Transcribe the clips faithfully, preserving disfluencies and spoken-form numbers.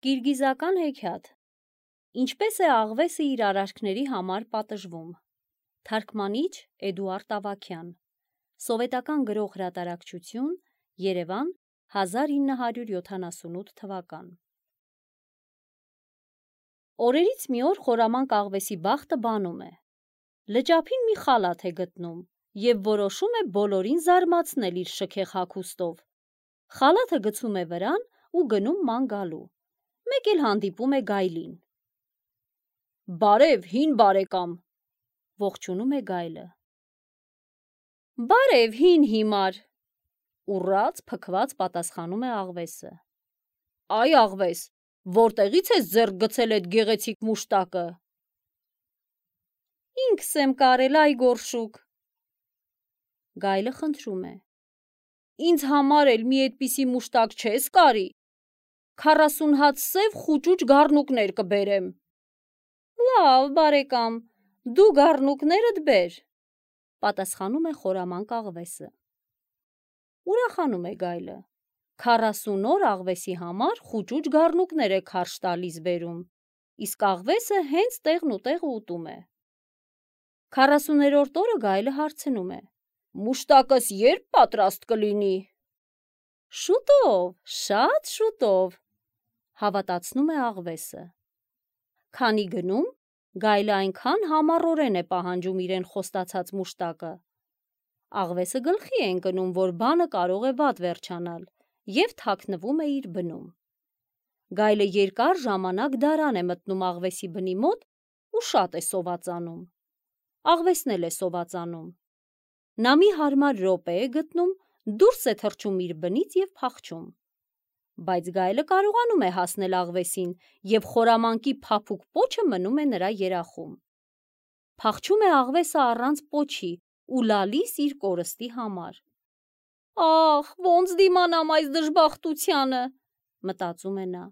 Կիրգիզական հեքիաթ։ Ինչպես է աղվեսը իր արարքների համար պատժվում։ Թարգմանիչ Էդուարդ Ավագյան։ Սովետական գրող հրատարակչություն, Երևան, հազար ինը հարյուր յոթանասունութ թվական։ Օրերից մի օր խորամանկ աղվեսի բախտը բանում է։ Լճափին մի խալաթ է գտնում և որոշում է բոլորին զարմացնել իր շքեղ հագուստով։ Խալաթը գցում է վրան ու գնում ման գալու։ Մեկ էլ հանդիպում է գայլին։ Բարև, հին բարեկամ, ողջունում է գայլը։ Բարև, հին հիմար, ուռած փքված պատասխանում է աղվեսը։ Այ աղվես, որտեղից ես ձեռք գցել այդ գեղեցիկ մուշտակը։ Ինքս եմ կարել, այ գորշուկ։ Գայլը խնդրում է։ Ինձ համար էլ մի այդպիսի մուշտակ չես կարի։ Քառասուն հատ սև խուճուճ գառնուկներ կբերեմ։ Լավ, բարեկամ, դու գառնուկներդ բեր, պատասխանում է խորամանկ աղվեսը։ Ուրախանում է գայլը։ Քառասուն օր աղվեսի համար խուճուճ գառնուկներ է քարշ տալիս բերում, իսկ աղվեսը հենց տեղն ու տեղը ուտում է։ Քառասուներորդ օրը գայլը հարցնում է. Մուշտակս երբ պատրաստ կլինի։ Շուտով, շատ շուտով, հավատացնում է աղվեսը։ Քանի գնում, գայլը այնքան համառորեն է պահանջում իրեն խոստացած մուշտակը։ Աղվեսը գլխի է ընկնում, որ բանը կարող է վատ վերջանալ, և թաքնվում է իր բնում։ Գայլը երկար ժամանակ դարան է մտնում աղվեսի բնի մոտ ու շատ է սովածանում։ Աղվեսն էլ է սովածանում։ Նա մի հարմար րոպե է գտնում, դուրս է թռչում իր բնից և փախչում։ Բայց գայլը կարողանում է հասնել աղվեսին և խորամանկի փափուկ պոչը մնում է նրա երախում։ Փախչում է աղվեսը առանց պոչի ու լալիս իր կորստի համար։ Ախ, ոնց դիմանամ այս դժբախտությանը, մտածում է նա,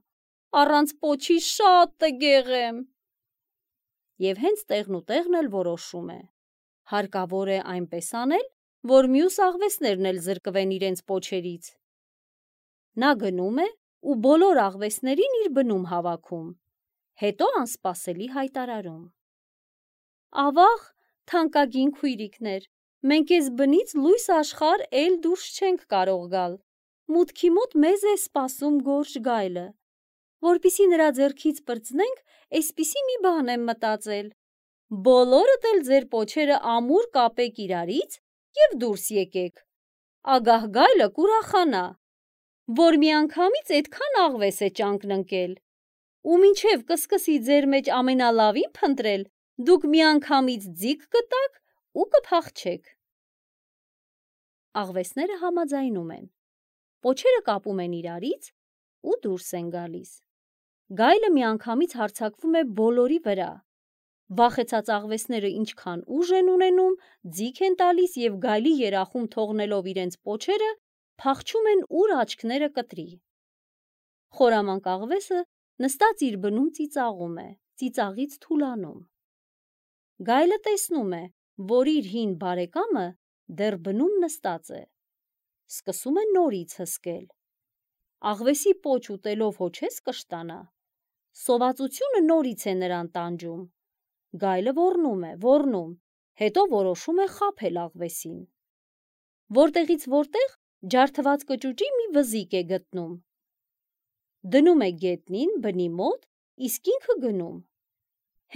առանց պոչի շատ տգեղ եմ։ Եվ հենց տեղն ու տեղն էլ որոշում է։ Հարկավոր է այնպես անել, որ մյուս աղվեսներն էլ զրկվեն իրենց պոչերից։ Նա գնում է ու բոլոր աղվեսներին իր բնում հավաքում, հետո անսպասելի հայտարարում. Ավաղ, թանկագին քույրիկներ, մենք էս բնից լույս աշխարհ էլ դուրս չենք կարող գալ, մուտքի մոտ մեզ է սպասում գորշ գայլը, որպեսզի նրա ձեռքից պրծնենք, էսպիսի մի բան եմ մտածել, բոլորդ էլ ձեր պոչերը ամուր կապեք իրարից և դուրս եկեք, ագահ գայլը կուրախանա, որ միանգամից էդքան աղվես է ճանկն ընկել, ու մինչև կսկսի ձեր մեջ ամենալավին փնտրել, դուք միանգամից ձիգ կտաք ու կփախչեք։ Աղվեսները համաձայնում են, պոչերը կապում են իրարից ու դուրս են գալիս։ Գայլը միանգամից հարձակվում է բոլորի վրա։ Վախեցած աղվեսները ինչքան ուժ են ունենում, ձիգ են տալիս և գայլի երախում թողնելով իրենց պոչերը, փախչում են ուր աչքները կտրի։ Խորամանկ աղվեսը նստած իր բնում ծիծաղում է, ծիծաղից թուլանում։ Գայլը տեսնում է, որ իր հին բարեկամը դեռ բնում նստած է։ Սկսում է նորից հսկել։ Աղվեսի պոչ ուտելով հո չես կշտանա։ Սովածությունը նորից է նրան տանջում։ Գայլը ոռնում է, ոռնում, հետո որոշում է խաբել աղվեսին։ Որտեղից որտեղ ջարդված կճուճի մի վզիկ է գտնում։ Դնում է գետնին բնի մոտ, իսկ ինքը գնում։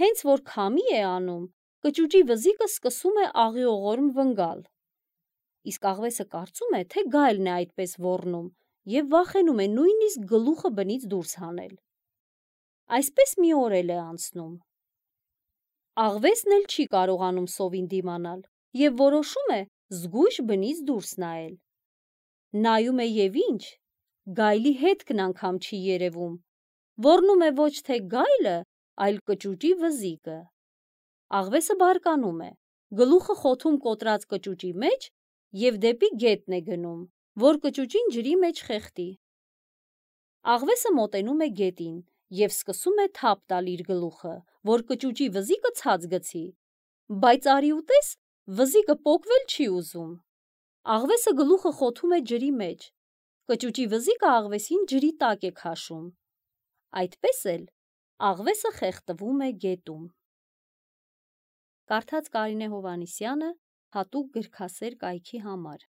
Հենց որ քամի է անում, կճուճի վզիկը սկսում է աղիողորմ վնգալ։ Իսկ աղվեսը կարծում է, թե գայլն է այդպես ոռնում և վախենում է նույնիսկ գլուխը բնից դուրս հանել։ Այսպես մի օր էլ է անցնում։ Աղվեսն էլ չի կարողանում սովին դիմանալ և որոշում է զգույշ բնից դուրս նայել։ Նայում է և ինչ, գայլի հետքն անգամ չի երևում, ոռնում է ոչ թե գայլը, այլ կճուճի վզիկը։ Աղվեսը բարկանում է, գլուխը խոթում կոտրած կճուճի մեջ և դեպի գետն է գնում, որ կճուճին ջրի մեջ խեղդի։ Աղվեսը մոտենում է գետին և սկսում է թափ տալ իր գլուխը, որ կճուճի վզիկը ցած գցի, բայց արի ու տես, վզիկը պոկվել չի ուզում։ Աղվեսը գլուխը խոթում է ջրի մեջ, կճուճի վզիկը աղվեսին ջրի տակ է քաշում։ Այդպես էլ աղվեսը խեղդվում է գետում։ Կարդաց Կարինե Հովհաննիսյանը հատուկ գրքասեր կայքի համար։